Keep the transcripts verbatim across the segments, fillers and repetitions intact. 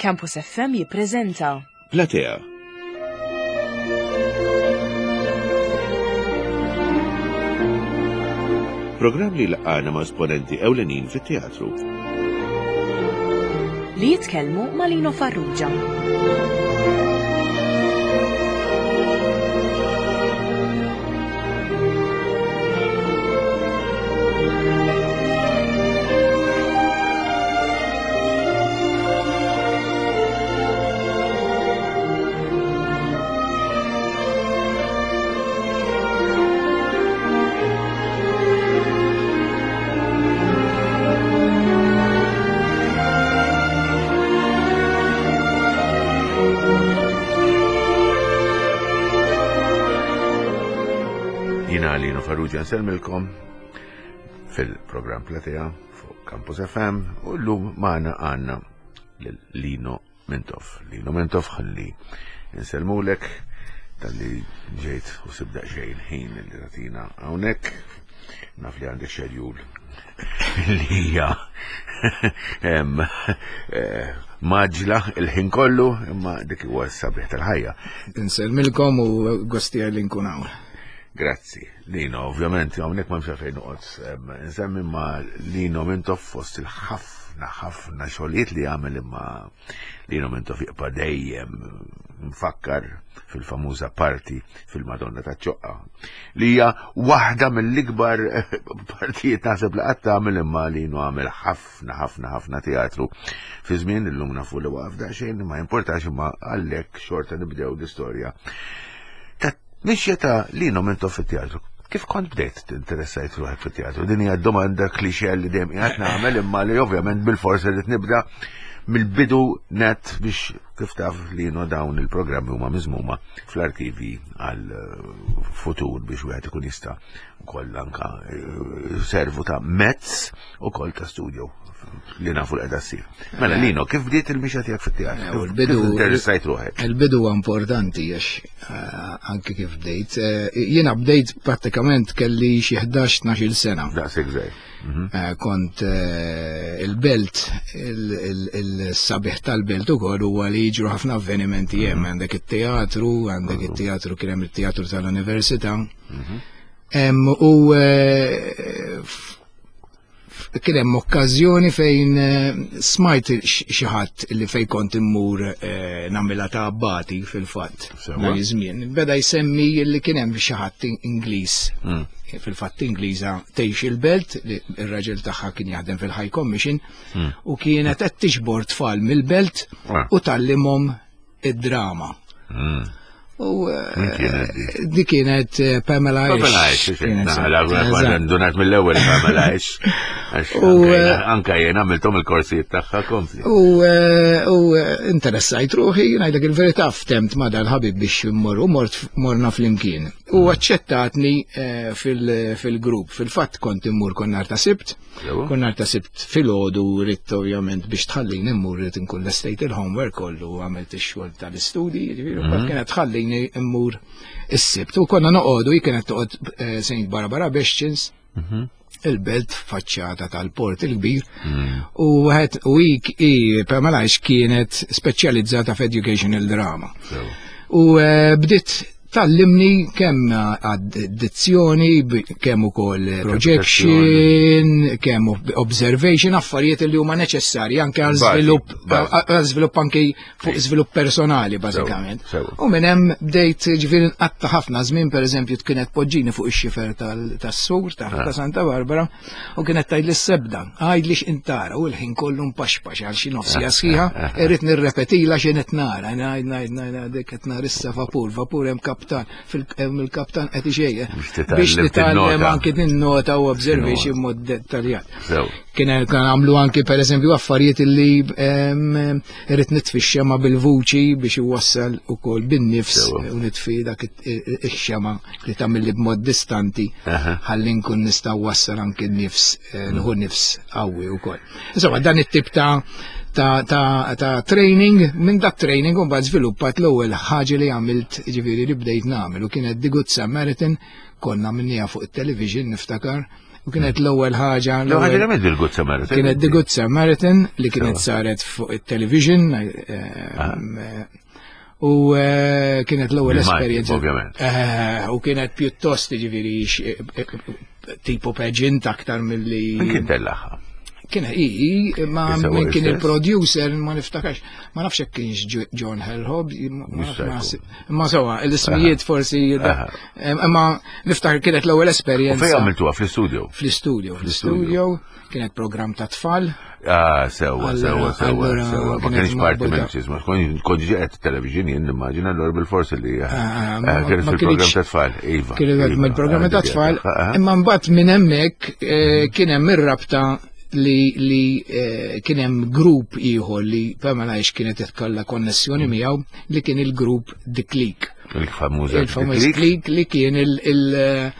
Campus F M jippreżenta Platea. Programm li laqana ma' esponenti ewlenin fit-teatru. Li jitkellmu ma' Lino Farrugia. Jiena Lino Farrugia nsellmilkom fil-programm Platea fuq Campus F M u llum magħna għandna lil Lino Mintoff. Lino Mintoff, ħalli nsellmulek talli ġejt u sibt daqsxejn ħin li tagħtina hawnhekk. Naf li għandek schedule li hija em, eh, mgħaġġla il-ħin kollu, imma dik huwa s-sabiħ tal-ħajja. Insellmilkom u gost tiegħi li nkun hawn. Grazzi. Lino, ovvjament, hawnhekk ma fejn noqgħod em, insemmi ma Lino Mintoff fost il-ħafna ħafna xogħlijiet li għamel, imma Lino Mintoff jibqa' dejjem mfakkar fil-famuża parti fil-Madonna ta' Ċoqqa li hija waħda mill-ikbar partijiet naħseb li qatt għamel, imma Lino għamel ħafna ħafna ħafna teatru fi żmien. Illum nafu li waqaf daqsxejn, ma importax, imma għalhekk xorta nibdew l-istorja ta' mixja ta' Lino Mintoff fit-teatru. Kif kont bdejt tinteressajt ruħek fit-teatru? Din hija domanda klixe li dejjem qiegħed nagħmel, imma li ovvjament bil-forsi li nibda mill-bidu net biex, kif taf Lino, dawn il-programmi huma miżmuma fl-arkivi għal eh, futur biex wieħed ikun jista' wkoll anka eh, servu ta' mezz ukoll ta' studio li nafu l qiegħda ssir. Mela Lino, kif bdiet il-mixja tiegħek fit-teatru? Eh, Kif il-bidu- kif interessajt ruħek? Il-bidu huwa importanti għax eh, anke kif bdejt. eh, Jiena bdejt prattikament kelli xi ħdax tnax-il sena. Daqshekk żgħir. Mhm. Eh, Kont eh, il-belt, il- il- il-sabiħ tal-belt ukoll huwa li jiġru ħafna avvenimenti hemm, għandek it-teatru, għandek it-teatru, kien hemm it-teatru tal-università. Em, U eh, f- kien hemm okkażjoni fejn eh, smajt x- xi ħadd li fejn kont immur eh, nagħmilha ta' abbati fil-fatt. Sewwa. Dak iż-żmien. Beda jsemmi li kien hemm xi ħadd Ingliż, Mm. fil-fatt Ingliża, tgħix il-belt, li ir-raġel tagħha kien jaħdem fil-High Commission u kienet qed tiġbor tfal mill-belt Ah. u tgħallimhom id-drama. Mm. U eh, Min kienet di? Di kienet eh, Pamela Pamela Ish. Ish, Kienet Naħla, eżatt. donat mill-ewwel Pamela Ish. Għax U, anka eh, jena- anka jena għamiltom il-korsijiet tagħha, kompli. U, eh, u eh, interessajt ruħi, ngħidlek il-verità, ftemt ma dal-ħabib biex immur u mort morna flimkien. U aċċettatni eh, fil- fil-grupp. Fil-fatt kont immur kull nhar ta' Sibt, Sewa. kull nhar ta' Sibt filgħodu ridt ovvjament biex tħallini immur ridt inkun lestejt il-homework kollu, għamilt ix-xogħol tal-istudji, ġifieri, mm kienet tħallini immur is-Sibt. U konna noqogħdu, hi kienet toqgħod eh, Saint Barbara Bastions, il-belt, faċċata tal-port il-kbir, u għed u i i Pamela Ish kienet speċjalizzata f'educational drama. Sewa. U eh, bdiet tgħallimni kemm addizzjoni, kemm ukoll projection, kemm observation, affarijiet li huma neċessarji anke għal Bażi, żvilupp bażi. għal żvilupp anke fuq żvilupp personali bażikament. Sewa. U minn hemm bdejt ġifieri nqatta' ħafna żmien, pereżempju kienet poġġini fuq ix-xifer tal- tas-sur ta' ta' Santa Barbara u kienet tgħidli s-sebda, għajdli x'intara, u l-ħin kollu mpaxpax għal xi nofs siegħa sħiħa, irrid nirrepetila x'in qed nara, ngħid ngħid ngħid dik qed nara issa vapur, vapur hemm kaptan, fil- hemm il-kaptan qed ixejjer. Biex titgħallem Biex titgħallem tinnota. anke tinnota u observation mod dettaljat. Sew. Kien kien għamlu anki per eżempju affarijiet li em, irrid nitfi x-xema bil-vuċi biex iwassal ukoll bin-nifs Sewa. u nitfi dak ix-xema li tagħmel b'mod distanti Aha. ħalli nkun nista' wassal anki n-nifs, eh, nħu nifs qawwi wkoll. Insomma, dan it-tip ta' ta' ta' ta' training, minn dak training u mbagħad żviluppat l-ewwel ħaġa li għamilt, ġifieri li bdejt nagħmel, u kienet The Good Samaritan, konna minnija fuq it-television niftakar. U kienet l-ewwel ħaġa. L-ewwel ħaġa li The Good Samaritan. Kienet The Good Samaritan li kienet saret fuq it-television. Eh, u eh, kienet l-ewwel esperjenza. Ovvjament. Eh, u kienet pjuttost, ġifieri, tipo pageant aktar milli. Min kien tellagħha? Kien i, ma min kien il-producer ma niftakarx, ma nafx hekk kienx John Hellhob, ma sewa, l-ismijiet forsi, imma niftakar kienet l-ewwel esperjenza. U fejn għamiltuha, fl-istudio? Fl-istudio, fl-istudio, kienet program ta' tfal. Ah, sewa, sewa, sewa, sewa. Ma kienx parti minn ċisma, kont ġiet television jien nimmaġina, allura bil-forsi li ah, ah, kienet fil-program ta' tfal, iva. Kienet mill-programm ta' tfal, imma mbagħad minn hemmhekk eh, kien hemm ir-rabta li li eh, kien hemm grupp ieħor li Pamela Għax kienet ikollha konnessjoni miegħu, li kien il-grupp The Clique. Il-famuża Il-famuż Clique li kien il- il-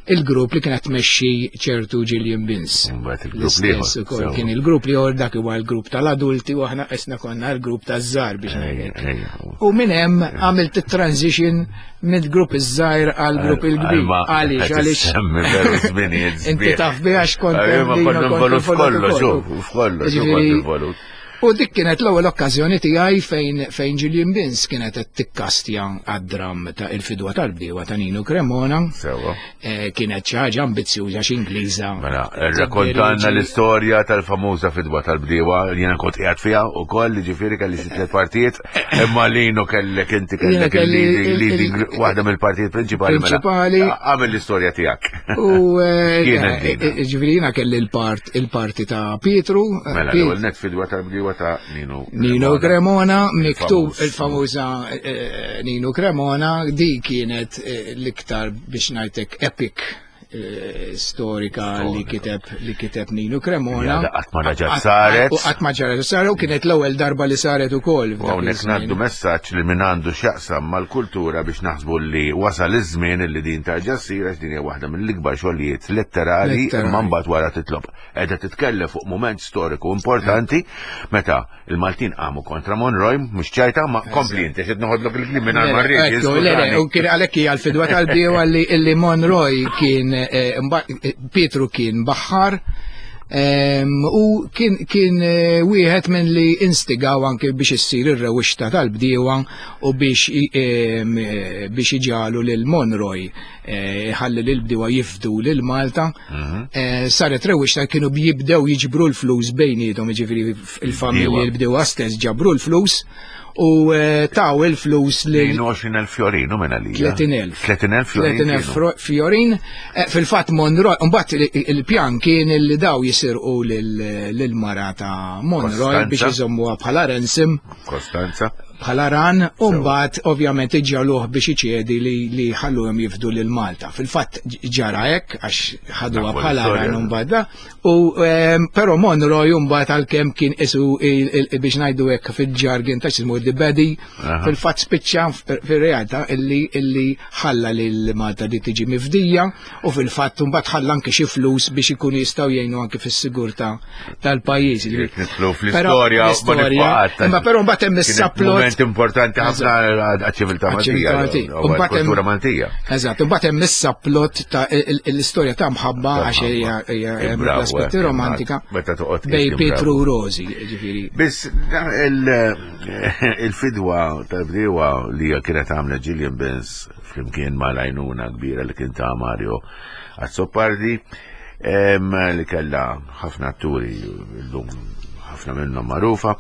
il-grupp li kienet tmexxi ċertu Gillian Bins. Mbagħad il-grupp L-istess l-ieħor, ukoll sewa. kien il-grupp li dak huwa l-grupp tal-adulti u aħna qisna konna l-grupp taż-żgħar, biex ngħidlek. Ejja. U minn hemm għamilt it-transition mill-grupp iż-żgħir għal grupp il-kbir. Għaliex, għaliex. Semmi veru żminijiet Inti sbieħ. taf biha għax kont Ejja, ma hemm konna lina kont involut involut f'kollox, ukoll. u f'kollox, u Ġifieri- kont involut. U dik kienet l-ewwel okkażjoni tiegħi fejn fejn Gillian Bins kienet qed tikkastja għad-dram ta' Il-Fidwa tal-Bdiewa ta' Nino Cremona. Sewa. Eh, Kienet xi ħaġa ambizzjuża xi Ingliża. Mela, rrakkontanna l-istorja tal-famuża Fidwa tal-Bdiewa li jena kont qiegħed fiha ukoll, ġifieri kelli xi tliet partijiet, imma Lino kellek inti Jiena kellek kelli il-leading il- leading il- waħda mill-partijiet prinċipali. Mela, Prinċipali. għamel l-istorja tiegħek. U eh, Kienet dina. eh, ġifieri jiena kelli l-part il-parti ta' Pietru. eh, Mela, Piet- l-ewwel net Fidwa tal-Bdiewa ta' Nino Nino Cremona, miktub Il-famuż. il-famuża eh, Nino Cremona, di kienet eh, l-iktar, biex ngħidlek, epic eh, storika li kiteb li kiteb Nino Cremona. Ja, qatt ma reġgħet saret. U qatt ma ġaret saret u kienet l-ewwel darba li saret ukoll. U f'dak hawnhekk iż-żmien. ngħaddu messaġġ li min għandu x'jaqsam mal-kultura biex naħsbu li wasal iż-żmien li din tarġa' ssir, għax din hija waħda mill-ikbar xogħlijiet letterali, Letterali. imma mbagħad wara titlob. Qiegħda titkellem fuq mument storiku importanti meta il-Maltin qamu kontra Monroy, mhux ċajta, ma kompli inti, xed noħodlok il-kliem minn ma rrid. Ekku, le, le, u kien għalhekk hija l-Fidwa tal-Bdiewa li illi Monroy kien eh, mba- eh, Pietru kien baħħar em, u kien kien eh, wieħed minn li instigaw anke biex issir ir-rewixta tal-bdiewa u biex i- em, eh, biex iġalu lil Monroy eh, ħalli lil bdiewa jifdu lil Malta. Eh, Saret rewixta, kienu jibdew jiġbru l-flus bejniethom, jiġifieri il-familji Bdiewa. l-bdiewa stess ġabru l-flus u eh, taw il-flus lil tnejn u għoxrin elf fjorinu minn għalija. tletin elf. tletin elf fjorin. tletin elf kienu. fro- fjorin. Eh, Fil-fatt Monroy, mbagħad il- il-pjan kien li daw jisirqu lil- lil-mara ta' Monroy Costanza. biex iżommuha bħala ransom, Kostanza. bħala ran, u mbagħad ovvjament iġaluh biex iċedi li li ħalluhom jifdu lil Malta. Fil-fatt ġara hekk għax ħaduha Nafu bħala l-istorja. ran u mbagħad da. U ehm, però Monroy mbagħad, għalkemm kien isu il- il- biex ngħidu hekk fil-jargon ta' xismu the baddie, Aha. fil-fatt spiċċa fir-realtà illi illi ħalla lil Malta di tiġi mifdija u fil-fatt mbagħad ħalla anke xi flus biex ikunu jistgħu jgħinu anke fis-sigurtà tal-pajjiż. Jekk nidħlu Però fl-istorja, ma l-istorja, nibqa' imma però mbagħad hemm Kienet is-subplot moment importanti ħafna għaċ-ċiviltà Għaċ-ċiviltà Maltija. Maltija. U U mbagħad hemm- għall-kultura Maltija. Eżatt, u mbagħad hemm is-subplot ta' il- il- l-istorja ta' mħabba, għax hija hija Eh, hemm bravo, l-aspetti eh, romantika meta toqgħod bej tqis Pietru bravo. u Rosi, ġifieri. Biss il- il-Fidwa tal-Bdiewa li kienet għamla Gillian Bins flimkien ma' l-għajnuna kbira li kien ta' Mario Azzopardi, em, li kella ħafna atturi l-lum ħafna minnhom magħrufa,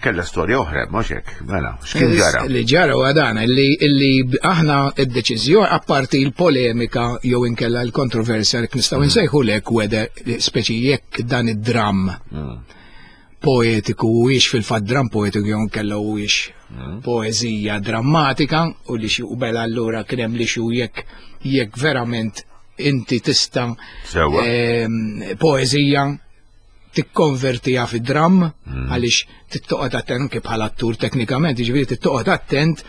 kella storja oħra, mhux hekk, mela, x'kien ġara? Li ġara u għadana, illi, illi aħna id-deċiżjoni, apparti il-polemika jew inkella l-kontroversja li nistgħu Mm. nsejħu lek whether speċi jekk dan id-dram Mm. poetiku huwiex fil-fatt dram poetiku jew inkella huwiex Mm. poeżija drammatika u li xi u bela allura kien hemm li xi jekk jekk verament inti tista' Sewwa. ehm, poeżija tikkonvertiha fi dram, Mm. għaliex Tittoqgħod attent anke bħala attur teknikament, jiġifieri tittoqgħod attent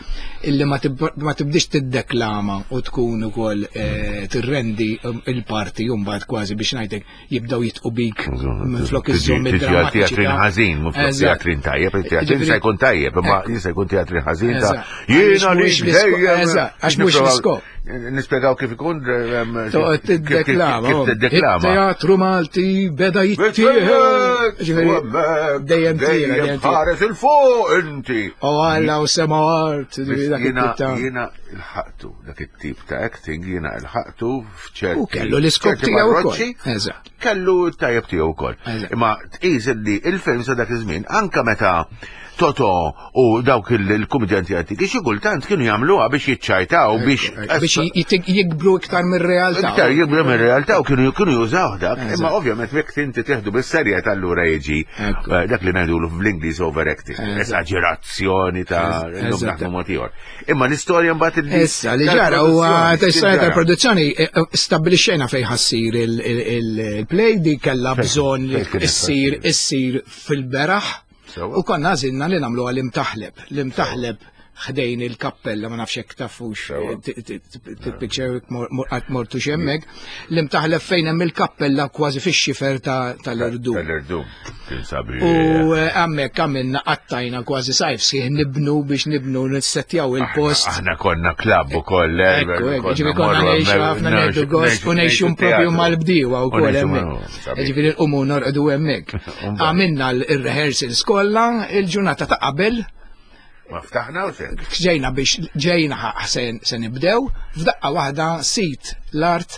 illi ma tibdix tiddeklama u tkun ukoll eh, tirrendi um, il-parti mbagħad kważi biex ngħidlek jibdew jitqu bik minflok iżżomm id-dramma. Teatrin ħażin, mhux teatrin tajjeb, teatrin se jkun tajjeb, imma jista' jkun teatrin ħażin ta' jiena li għax mhux l-iskop. Nispjegaw kif ikun Toqgħod tiddeklama. Kif tiddeklama. Teatru Malti beda jittieħed. Dejjem dejjem ħares il-fuq inti. U Alla u sema art. Jiena il-ħaqtu dak it-tip ta' acting jiena il-ħaqtu f'ċerti. U kellu l-iskop tiegħu wkoll. Kellu tajjeb tiegħu wkoll. Imma tqis li il-film sa dak iż-żmien anke meta Toto u dawk il-kumedjanti antiki xi kultant kienu jagħmluha biex jiċċajtaw biex biex jikbru iktar mir-realtà. Iktar jikbru mir-realtà u kienu kienu jużaw dak. Imma ovvjament jekk inti teħdu bis-serjetà allura jiġi eh, dak li ngħidulu fl-Ingliż overacting, esaġerazzjoni ta' illum naħdmu mod ieħor. Imma l-istorja mbagħad il Issa li ġara huwa l-istorja tal-produzzjoni eh, eh, stabbilixxejna fejn ħassir il-play di kellha bżonn issir issir fil-beraħ. U konna għażilna li nagħmluha l-imtaħleb. L-imtaħleb ħdejn il-kappella, ma nafx hekk tafux, tippikxew qatt mortu hemmhekk, l-imtaħleb fejn hemm il-kappella kważi fix-xifer tal-irdum. Tal-irdum, kien sabiħ. U hemmhekk għamilna qattajna kważi sajf sħiħ nibnu biex nibnu nissettjaw il-post. Aħna konna klabb ukoll. Ġifieri konna ngħixu ħafna ngħidu gost u ngħixu propju mal-bdiewa wkoll hemmhekk. Ġifieri nqumu norqdu hemmhekk. Għamilna l-rehearsals kollha il-ġurnata ta' qabel. Ma ftaħna u xejn. Ġejna biex ġejna se nibdew, f'daqqa waħda sit l-art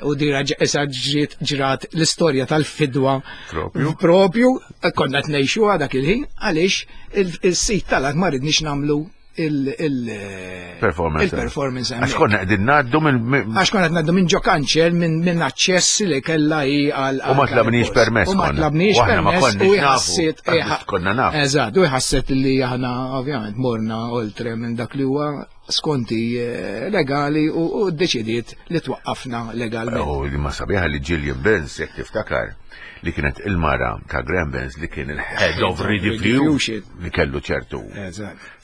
u dira issa ġiet ġrat l-istorja tal-fidwa. Propju. Propju, konna tnejxu dak il-ħin għaliex il-sit tal-art ma ridniex nagħmlu il-performance. Il-performance. Għax konna qegħdin ngħaddu minn. Għax konna qed ngħaddu minn ġo kanċel minn aċċess li kellha hi għal. U ma tlabniex permess. U ma tlabniex permess. U ħasset. Konna naf. Eżatt, u ħasset li aħna ovvjament morna oltre minn dak li huwa skonti legali u ddeċidiet li twaqqafna legalment. U li ma sabiħa li Gillian Benz, jekk tiftakar, li kienet il-mara ta' Graham Benz li kien il-head of Rediffusion li kellu ċertu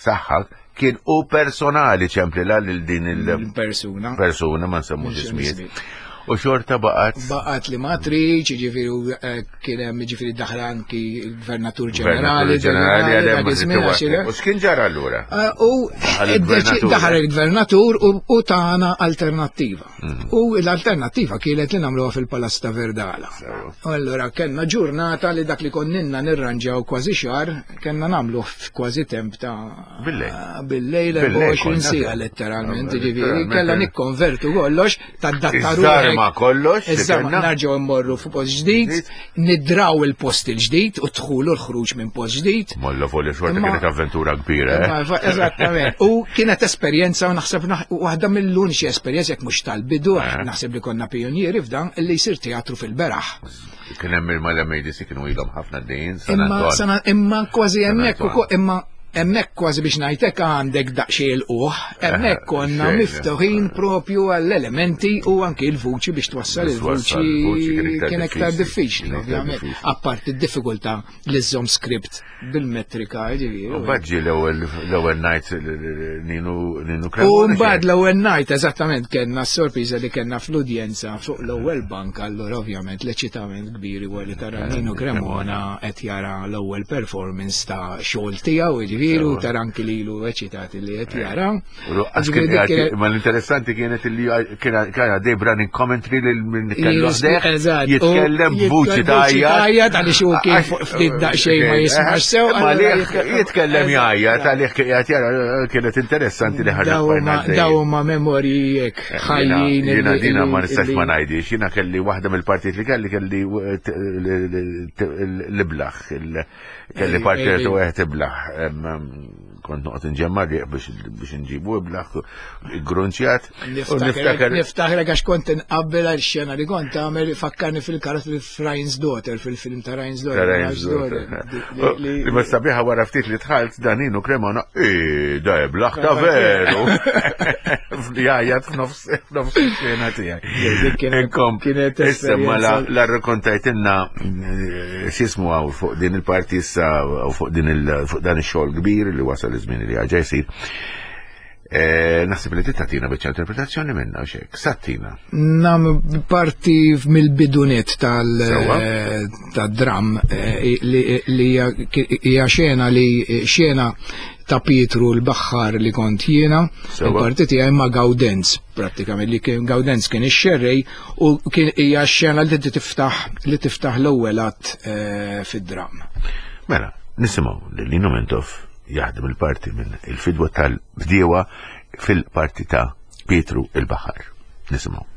saħħa, kien u personali ċemplila lil din il-persuna. Persuna ma nsemmux ismijiet. U xorta baqgħet. Baqgħet li ma tridx, jiġifieri kien hemm jiġifieri daħal anki l-Gvernatur Ġenerali. Ġenerali. U x'kien ġara allura? U daħal il-Gvernatur u tana alternattiva. U l-alternattiva kienet li nagħmluha fil-Palazz ta' Verdala. U allura kellna ġurnata li dak li konninna nirranġaw kważi xahar, kellna nagħmluh f'kważi temp ta' billejl. Billejl erbgħa u għoxrin siegħa letteralment, jiġifieri kellna nikkonvertu kollox tad-datta ruħek. Ma kollox. Issa narġgħu mmorru fuq post ġdid, nidraw il-post il-ġdid u dħulu l-ħruġ minn post ġdid. Molla folli xorta kienet avventura kbira. Eżattament. U kienet esperjenza u naħseb waħda mill-uniċi esperjenza jekk mhux tal-bidu, naħseb li konna pionieri f'dan li jsir teatru fil-beraħ. Kien hemm il-Malem A D C kienu ilhom ħafna dejjin. Imma imma kważi hemmhekk imma hemmhekk kważi biex ngħidlek għandek daqsxejn il-quħ, hemmhekk konna miftuħin propju għall-elementi u anki l-vuċi biex twassal il-vuċi kien iktar diffiċli, ovvjament. Apparti d-diffikultà li żżomm script bil-metrika, ġifieri. U mbagħad ġie l-ewwel night Ninu Ninu Cremona. U mbagħad l-ewwel night eżattament kellna s-sorpriża li kellna fl-udjenza fuq l-ewwel bank, allura ovvjament l-eċitament kbir huwa li tara Ninu Cremona qed jara l-ewwel performance ta' xogħol tiegħu, ġifieri. Veru, tara anki lilu eċitati li qed jara. Ma l-interessanti kienet li kien għaddej running commentary lil min kellu ħdejh jitkellem b'vuċi tajjat għaliex hu kien fuq ftit daqsxejn ma jismax sew. Ma jitkellem jgħajjat għalih qiegħed jara kienet interessanti li ħaġa. Daw huma memorji hekk ħajjin. Jiena dina ma nistax ma ngħidix, jiena kelli waħda mill-partijiet li kelli kelli l-iblaħ, kelli partijiet u wieħed iblaħ. Kont noqgħod inġemma' riq biex nġibu iblaħ grunċjat. Niftakrek għax kont inqabbel għal xena li kont għamel fakkarni fil-karattru Ryan's Daughter, fil-film ta' Ryan's Daughter. Li ma sabiħa wara ftit li dħalt Daninu Cremona, i da iblaħ ta' veru. Jgħajjat f'nofs xena tiegħi. Kienet Issa ma la rrakkontajtilna x'ismu hawn fuq din il-parti issa u fuq din fuq dan ix-xogħol kbir li wasal iż-żmien li għaġa jsir. Naħseb li tagħtina biċċa interpretazzjoni minna u xek. Sattina. Nam parti mill-bidunet tal-dram li hija xena li xena ta' Pietru l-Baħħar li kont jiena, il-parti tiegħi ma' Gaudenz prattikament li kien Gaudenz kien ix-xerrej u kien hija xena li tiftaħ li tiftaħ l-ewwel att fid-dram. Mela, nisimgħu lil Lino Mintoff jaħdem il-parti minn il-fidwa tal-bdiewa fil-parti ta' Pietru il-Baħar. Nisimgħu.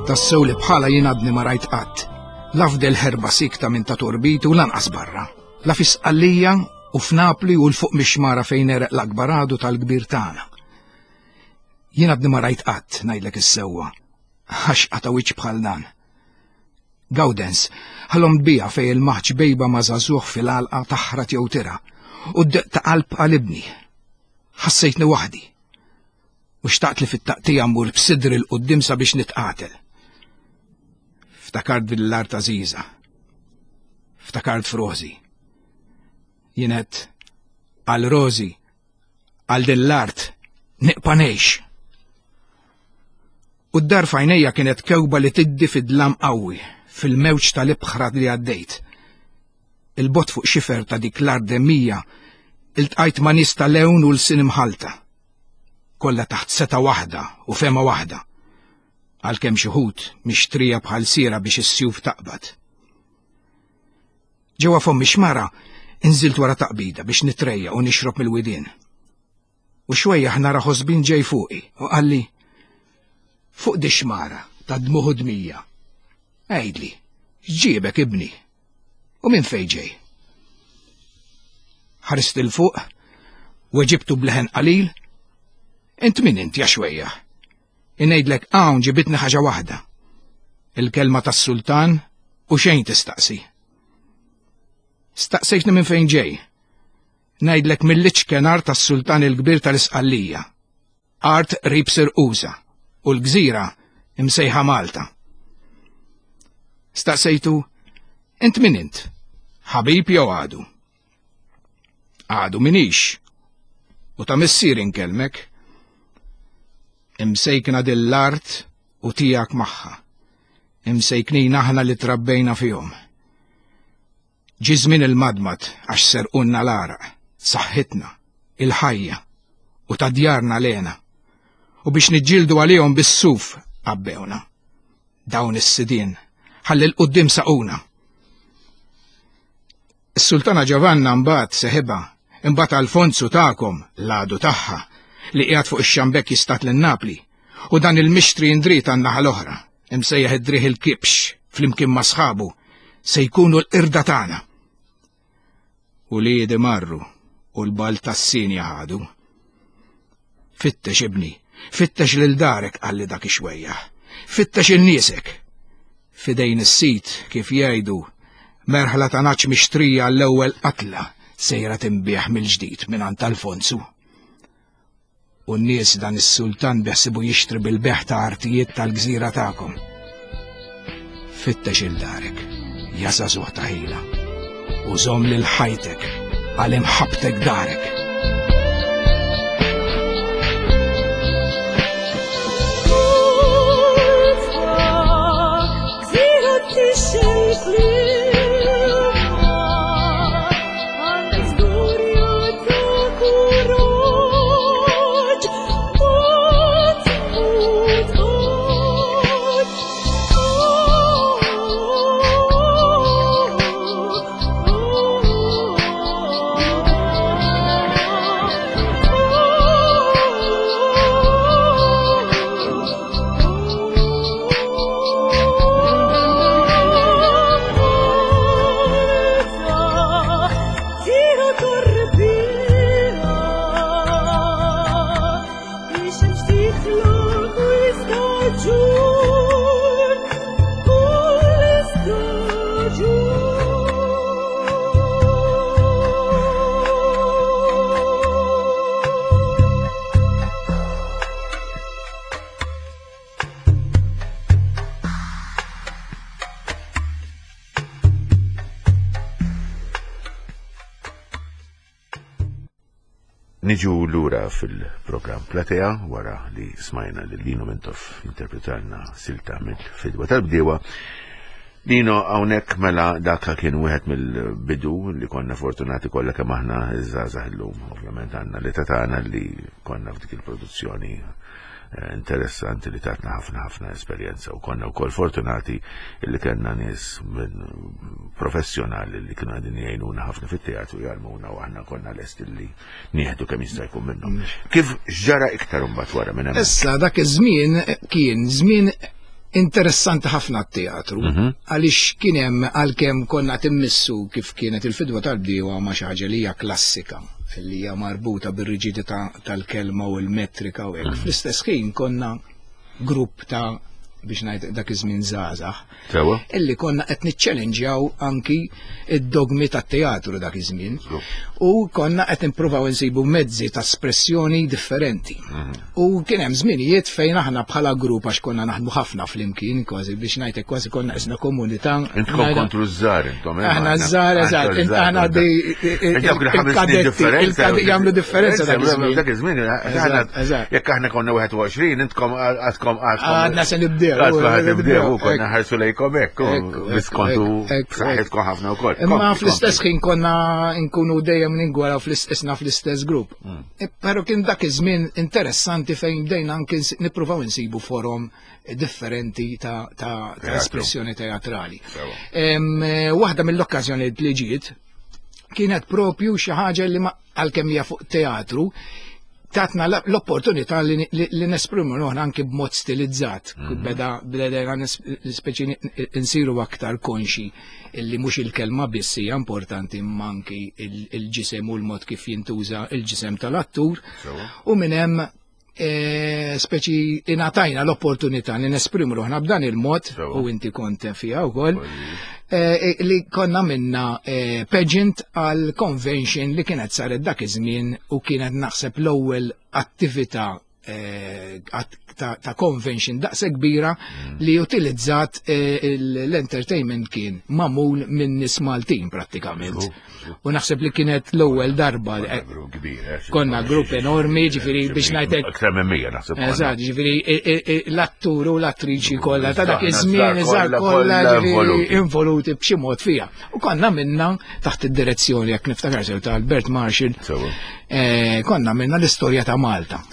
Tassew li bħala jien għadni ma rajt qatt. La fdel ħerba sikta minn ta' torbitu u lanqas barra. La fi Sqallija u f'Napli u l-fuq mix-xmara fejn ereq l-akbar għadu tal-kbir tagħna. Jien għadni ma rajt qatt ngħidlek is-sewwa. Għax qata' wiċċ bħal dan. Gawdens, ħalhom tbija fejn il-maħġ bejba ma' żagħżugħ fil-għalqa taħrat jew tira u d-deq ta' qalb qalibni. Ħassejtni waħdi. U xtaqt li fit-taqtija mmur b'sidri l-qudiem sabiex nitqatel. Ftakart bil-art għażiża. Ftakart f'Rożi. Jienet għal Rożi, għal din l-art, niqpa' ngħix. U d-dar f'għajnejja kienet kewba li tiddi fid-dlam qawwi, fil-mewġ tal-ibħra li għaddejt. Il-bot fuq xifer ta' dik l-art demmija, iltqajt ma' nies ta' lewn u l-sin imħalta. Kollha taħt seta' waħda u fema waħda. Għalkemm xi ħut mixtrija bħal sira biex is-sjuf taqbad. Ġewwa fommi xmara inżilt wara taqbida biex nitrejja u nixrob mill-widien. U xwejja nara ħosbin ġej fuqi u qalli fuq di xmara ta' dmuħ u dmija. Għidli, x'ġiebek ibni? U minn fejn ġej? Ħarist il fuq, weġibtu bleħen qalil, int min int ja xwejja? Ingħidlek hawn ġibitni ħaġa waħda. Il-kelma tas-sultan u xejn tistaqsi. Staqsejtni minn fejn ġej. Ngħidlek mill-iċken art tas-sultan il-kbir tal-Isqallija. Art qrib Sirqusa u l-gżira imsejħa Malta. Staqsejtu, int min int? Ħabib jew għadu? Għadu minix. U ta' missier inkellmek. Imsejkna dill-art u tiegħek magħha. Imsejknin aħna li trabbejna fihom. Ġie żmien il-madmad għax serqunna l-għaraq, saħħitna, il-ħajja u ta' djarna lena. U biex niġġieldu għalihom bis-suf għabbewna. Dawn is-sidien ħalli l-quddiem saquna. Is-Sultana Ġovanna mbagħad seħibha, imbagħad Alfonsu tagħkom l-għadu tagħha li qiegħed fuq ix-xambek jistat lil Napli, u dan il-mixtri indrit għan-naħa l-oħra, imsejjaħ id-driħ il-kibx flimkien ma' sħabu, se jkunu l-qirda tagħna. U liedi marru u l-bal tas-sinja ħadu. Fittex ibni, fittex lil darek qalli dak ix-xwejjaħ, fittex in-niesek. Fidejn is-sit kif jgħidu, merħla ta' naċ mixtrija l-ewwel qatla sejra tinbieħ mill-ġdid mingħand Alfonsu. U n-nies dan is-sultan beħsibu jixtri bil-beħ ta' artijiet tal-gżira tagħkom. Fittex il darek, ja żagħżugħ ta' ħila. U żomm lil ħajtek għal imħabbtek darek. Niġu lura fil-programm Platea wara li smajna lil Lino Mintoff interpretalna silta mill-Fidwa tal-Bdiewa. Lino, hawnhekk mela dak kien wieħed mill-bidu li konna fortunati kollha kemm aħna iż-żgħażagħ illum. Ovvjament għandna l-età tagħna li konna f'dik il-produzzjoni interessanti li tatna ħafna ħafna esperjenza, u konna wkoll fortunati li kellna nies minn professjonali li kienu qegħdin jgħinuna ħafna fit-teatru, jgħallmuna, u aħna konna lesti li nieħdu kemm jista' jkun minnhom. Kif ġara iktar imbagħad wara minn hemm? Issa dak iż-żmien kien żmien interessanti ħafna t-teatru, għaliex kien hemm, għalkemm konna timmissu kif kienet il-Fidwa tal-Bdiewa ma' xi ħaġa li hija klassika, li hija marbuta bir-riġidità tal-kelma u l-metrika u hekk. Fl-istess ħin konna grupp ta' biex ngħid dak iż-żmien żgħażagħ, illi konna qed niċċellenġjaw anki id-dogmi tat-teatru dak iż-żmien, u konna qed nippruvaw insibu mezzi ta' espressjoni differenti. U kien hemm żminijiet fejn aħna bħala grupp, għax konna naħdmu ħafna flimkien, kważi biex ngħidlek kważi konna qisna komunità. Intkom kontru żgħar intom. Aħna żgħar, eżatt, aħna il-kadetti jagħmlu differenza dak iż-żmien. Dak iż-żmien, jekk aħna konna wieħed u għoxrin, intkom għadkom għadkom. Għadna se nibdew. Nibdew, konna ħarsu lejkom hekk, biskontu saħħitkom ħafna wkoll. Imma fl-istess ħin konna nkunu dejjem ningwaraw fl-istess fl-istess grupp. Però kien dak iż-żmien interessanti fejn bdejna anke nippruvaw insibu forom differenti ta' espressjoni teatrali. Waħda mill-okkażjonijiet li ġiet kienet propju xi ħaġa li għalkemm hija fuq teatru, tatna l-opportunità li nesprimu ruħna anki b'mod stilizzat. Beda bdejna speċi nsiru aktar konxi illi mhux il-kelma biss hija importanti, imma anki il-ġisem u l-mod kif jintuża il-ġisem tal-attur. U minn hemm speċi ingħatajna l-opportunità li nesprimu ruħna b'dan il-mod, u inti kont fiha wkoll, li konna minna pageant għal convention li kienet saret dak iż-żmien, u kienet naħseb l-ewwel attività ta' convention daqse kbira li utilizzat l-entertainment kien magħmul minn nies Maltin prattikament. U naħseb li kienet l-ewwel darba. Konna grupp enormi, ġifieri biex ngħidlek. Aktar minn mija naħseb. Eżatt, ġifieri l-attur u l-attriċi kollha ta' dak iż-żmien eżatt kollha involuti b'xi mod fiha. U konna minna taħt id-direzzjoni, jekk niftakar sew, ta' Albert Marshall, konna minna l-istorja ta' Malta.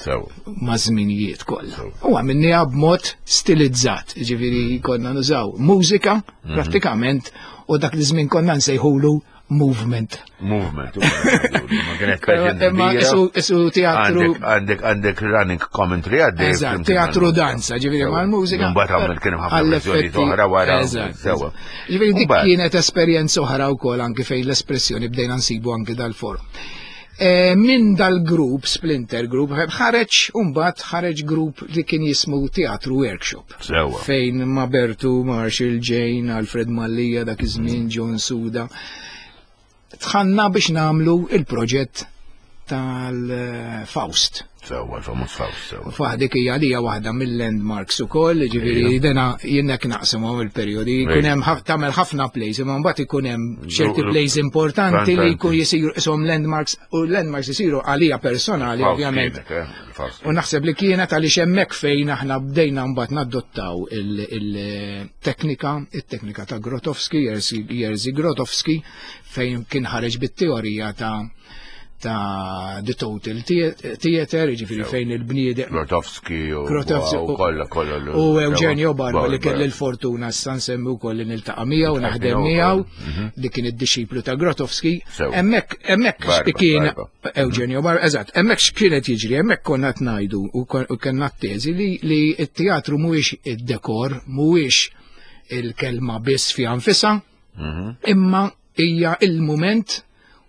Ma' żminijiet kollha. U għamilniha b'mod stilizzat, ġifieri konna nużaw mużika prattikament, u dak li żmien konna nsejħulu movement. Movement. Ma kienet pageant Imma isu teatru. Għandek għandek running commentary għaddej. Eżatt, teatru danza, ġifieri mal-mużika. Mbagħad għamil kien hemm ħafna verżjonijiet oħra wara. Sewwa. Ġifieri dik kienet esperjenza oħra wkoll anke fejn l-espressjoni bdejna nsibu anke dal-forum. Minn dal-grupp, Splinter Group, ħareġ mbagħad ħareġ grupp li kien jismu Teatru Workshop. Sewwa. Fejn ma' Bertu, Marshall, Jane, Alfred Mallia, dak iż-żmien, John Suda. Tħanna biex namlu il-proġett tal-Faust. Sewwa, l-famuż Faust, sewwa. Faħ dik hija li hija waħda mill-landmarks ukoll, ġifieri dena jiena naqsamhom il-perjodi, jkun hemm tagħmel ħafna plays, imma mbagħad ikun hemm ċerti plays importanti li jkun jisiru ishom landmarks u landmarks isiru għalija personali ovvjament. Eh, u naħseb li kienet għaliex hemmhekk fejn aħna bdejna mbagħad nadottaw il-teknika, it-teknika ta' Grotowski, Jerzy Grotowski, fejn kien ħareġ bit-teorija ta' ta' The Total Theater, ġifieri fejn il-bniedem. Grotowski u kollha kollha. U Eugenio Barba li kelli l-fortuna issa nsemmi wkoll li niltaqa' miegħu naħdem miegħu mhm. li kien id-dixxiplu ta' Grotowski. Hemmhekk hemmhekk kien Eugenio Barba, eżatt, hemmhekk x'kienet jiġri, hemmhekk konna qed ngħidu u kellna t-teżi li t-teatru mhuwiex id-dekor, mhuwiex il-kelma biss fiha nfisha, mhm. imma hija il-mument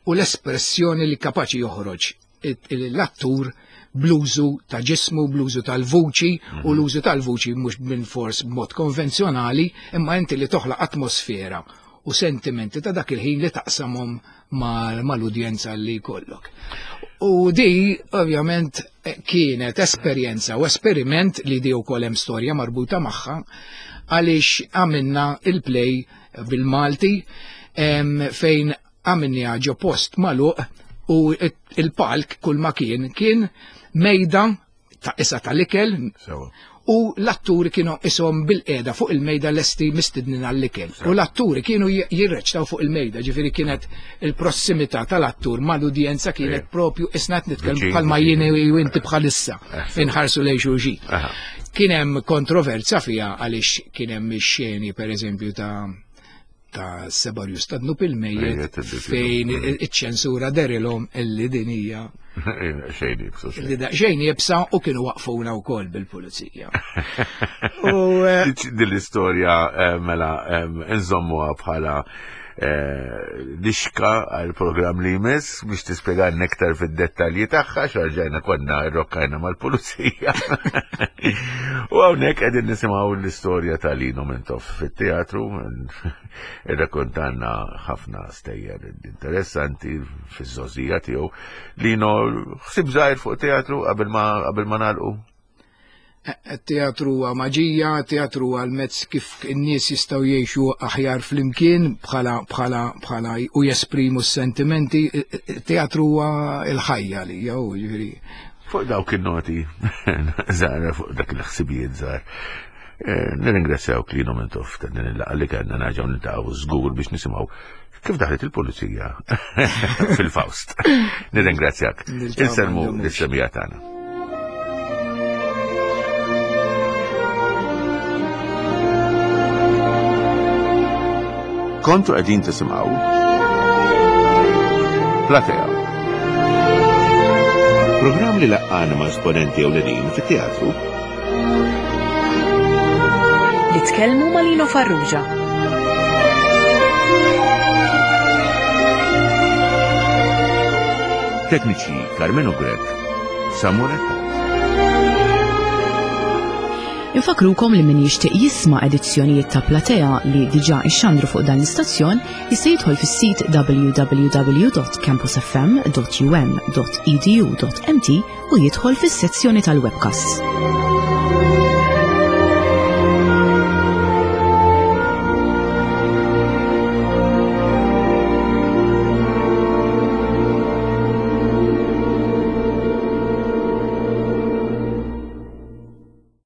u l-espressjoni li kapaċi joħroġ l-attur bl-użu ta' ġismu, bl-użu tal-vuċi, u l-użu tal-vuċi mhux minn fors b'mod konvenzjonali, imma inti li toħlaq atmosfera u sentimenti ta' dak il-ħin li taqsamhom mal-udjenza li jkollok. U di, ovvjament, kienet esperjenza u esperiment li di wkoll hemm storja marbuta magħha għaliex għamilna il-play bil-Malti fejn għamilni ġo post magħluq u il-palk kull ma kien kien mejda ta' isa tal-ikel u l-atturi kienu ishom bil-qeda fuq il-mejda lesti mistednin għall-ikel. U l-atturi kienu jirreċtaw fuq il-mejda, ġifieri kienet il-prossimità tal-attur mal-udjenza kienet propju isnat nitkellmu bħalma jien u inti bħalissa inħarsu lejn xulxin. Kien hemm kontroverzja fiha għaliex kien hemm ix-xeni pereżempju ta' ta' Sebarjus ta' Dnub il-Mejjet fejn iċ-ċensura derilhom illi din hija Xejn iebsa. Illi da xejn iebsa u kienu waqfuna wkoll bil-pulizija. U eh, Din l-istorja eh, mela eh, nżommuha bħala lixka għal programm li jmiss biex tispjegalna iktar fid-dettalji tagħha x'arġajna konna rrokkajna mal-pulizija. U hawnhekk qegħdin nisimgħu l-istorja ta' Lino Mintoff fit-teatru, irrakkontanna ħafna stejjer interessanti fiż-żgħożija tiegħu. Lino, ħsieb żgħir fuq teatru qabel ma qabel ma nagħlqu? Teatru huwa maġija, teatru huwa l-mezz kif in-nies jistgħu jgħixu aħjar flimkien bħala bħala bħala u jesprimu s-sentimenti. Teatru huwa l-ħajja li jew jiġifieri. Fuq dawk in-noti żgħar, fuq dak il-ħsibijiet żgħar. Eh, nirringrazzjawk Lino Mintoff ta' din il-laqgħa li kellna, nerġgħu niltaqgħu żgur biex nisimgħu kif daħlet il-pulizija fil-Faust. Nirringrazzjak. Niltaqgħu Insellmu m'għandhomx. lis-semija tagħna. Kontu qegħdin tisimgħu Platea. Programm li laqqana ma' esponenti ewlenin fit-teatru. Li tkellmu ma' Lino Farrugia. Tekniċi Carmelo Grech, Samuel Attard. Infakrukom li min jixtieq jisma' edizzjonijiet ta' Platea li diġà ixxandru fuq dan l-istazzjon jista' jidħol fis-sit w w w dot campusfm dot u m dot e d u dot m t u jidħol fis-sezzjoni tal-webcasts.